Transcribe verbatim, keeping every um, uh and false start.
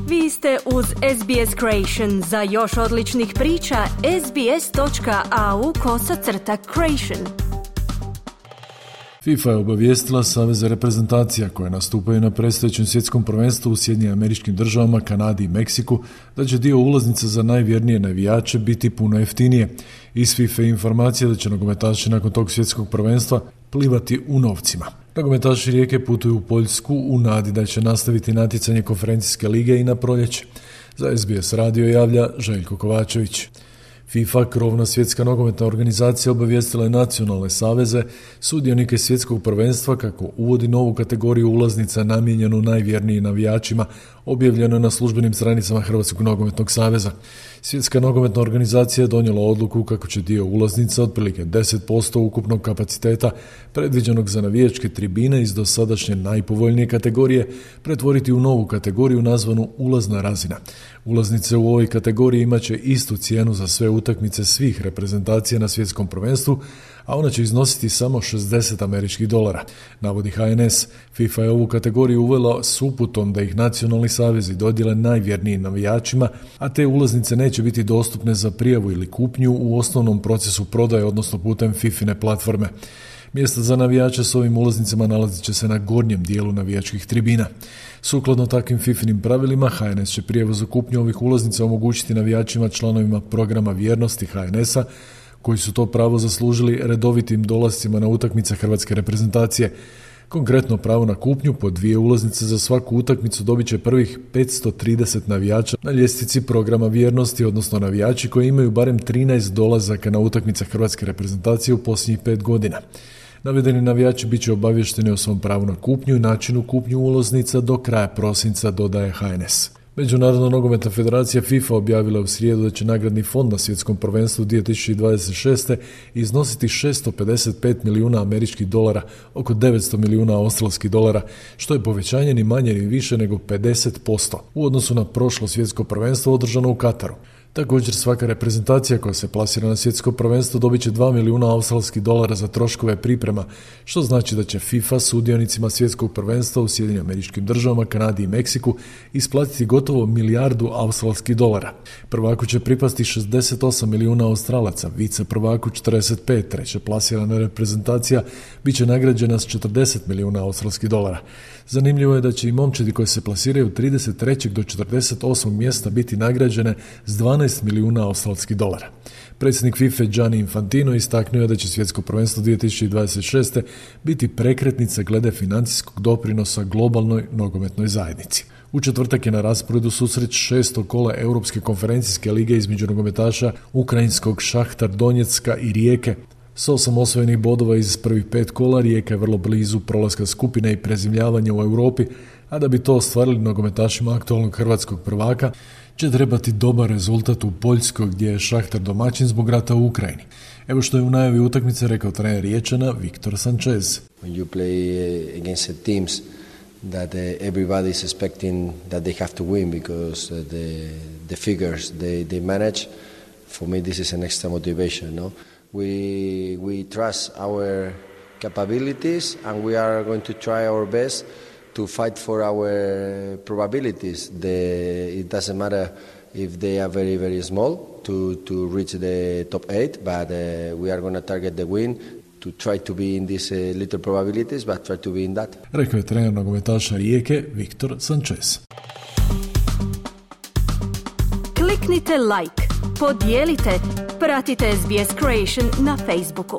Vi ste uz S B S Creation. Za još odličnih priča, sbs.au kosacrta creation. FIFA je obavijestila saveze reprezentacija koje nastupaju na predstojećem svjetskom prvenstvu u Sjedinjenim Američkim Državama, Kanadi i Meksiku da će dio ulaznica za najvjernije navijače biti puno jeftinije. Iz FIFA informacija da će nogometaši nakon tog svjetskog prvenstva plivati u novcima. Nogometaši Rijeke putuju u Poljsku u nadi da će nastaviti natjecanje konferencijske lige i na proljeće. Za S B S radio javlja Željko Kovačević. FIFA, krovna svjetska nogometna organizacija, obavijestila je nacionalne saveze, sudionike svjetskog prvenstva kako uvodi novu kategoriju ulaznica namijenjenu najvjernijim navijačima, objavljeno na službenim stranicama Hrvatskog nogometnog saveza. Svjetska nogometna organizacija je donijela odluku kako će dio ulaznica, otprilike deset posto ukupnog kapaciteta predviđenog za navijačke tribine iz dosadašnje najpovoljnije kategorije, pretvoriti u novu kategoriju nazvanu ulazna razina. Ulaznice u ovoj kategoriji imat će istu cijenu za sve utakmice svih reprezentacija na svjetskom prvenstvu, a ona će iznositi samo šezdeset američkih dolara, navodi H N S. FIFA je ovu kategoriju uvela s uputom da ih nacionalni savezi dodijele najvjernijim navijačima, a te ulaznice neće biti dostupne za prijavu ili kupnju u osnovnom procesu prodaje, odnosno putem FIFIne platforme. Mjesta za navijače s ovim ulaznicama nalazit će se na gornjem dijelu navijačkih tribina. Sukladno takvim FIFInim pravilima, H N S će prijavu za kupnju ovih ulaznica omogućiti navijačima članovima programa vjernosti H N S-a, koji su to pravo zaslužili redovitim dolascima na utakmice hrvatske reprezentacije. Konkretno pravo na kupnju po dvije ulaznice za svaku utakmicu dobit će prvih petsto trideset navijača na ljestvici programa vjernosti, odnosno navijači koji imaju barem trinaest dolazaka na utakmice hrvatske reprezentacije u posljednjih pet godina. Navedeni navijači bit će obavješteni o svom pravu na kupnju i načinu kupnju ulaznica do kraja prosinca, dodaje H N S. Međunarodna nogometna federacija FIFA objavila u srijedu da će nagradni fond na svjetskom prvenstvu dvije tisuće dvadeset šeste. iznositi šesto pedeset pet milijuna američkih dolara, oko devetsto milijuna australskih dolara, što je povećanje ni manje ni više nego pedeset posto u odnosu na prošlo svjetsko prvenstvo održano u Kataru. Također svaka reprezentacija koja se plasira na svjetsko prvenstvo dobit će dva milijuna australskih dolara za troškove priprema, što znači da će FIFA sudionicima svjetskog prvenstva u Sjedinjenim Američkim Državama, Kanadi i Meksiku isplatiti gotovo milijardu australskih dolara. Prvaku će pripasti šezdeset osam milijuna Australaca, vice prvaku četrdeset pet, treće plasirana reprezentacija bit će nagrađena s četrdeset milijuna australskih dolara. Zanimljivo je da će i momčadi koji se plasiraju od trideset trećeg do četrdeset osmog mjesta biti nagrađene s dvanaest milijuna australskih dolara. Predsjednik FIFA Gianni Infantino istaknuo je da će svjetsko prvenstvo dvije tisuće dvadeset šeste. biti prekretnica glede financijskog doprinosa globalnoj nogometnoj zajednici. U četvrtak je na rasporedu susret šestog kola Europske konferencijske lige između nogometaša ukrajinskog Šahtar Donjecka i Rijeke. S osam osvojenih bodova iz prvih pet kola Rijeka je vrlo blizu prolaska skupine i prezimljavanja u Europi, a da bi to ostvarili nogometašima aktualnog hrvatskog prvaka će trebati dobar rezultat u Poljskoj gdje je Šahtar domaćin zbog rata u Ukrajini. Evo što je u najavi utakmice rekao trener Riječana Viktor Sanchez. When you play against teams that uh, everybody is expecting that they have to win because uh, the the figures they they manage, for me this is an extra motivation, no? We we trust our capabilities and we are going to try our best to fight for our probabilities. The, it doesn't matter if they are very, very small to, to reach the top eight, but uh, we are going to target the win to try to be in these uh, little probabilities, but try to be in that. Rekao je trener nogometaša Rijeke Viktor Sanchez. Kliknite like, podijelite, pratite S B S Creation na Facebooku.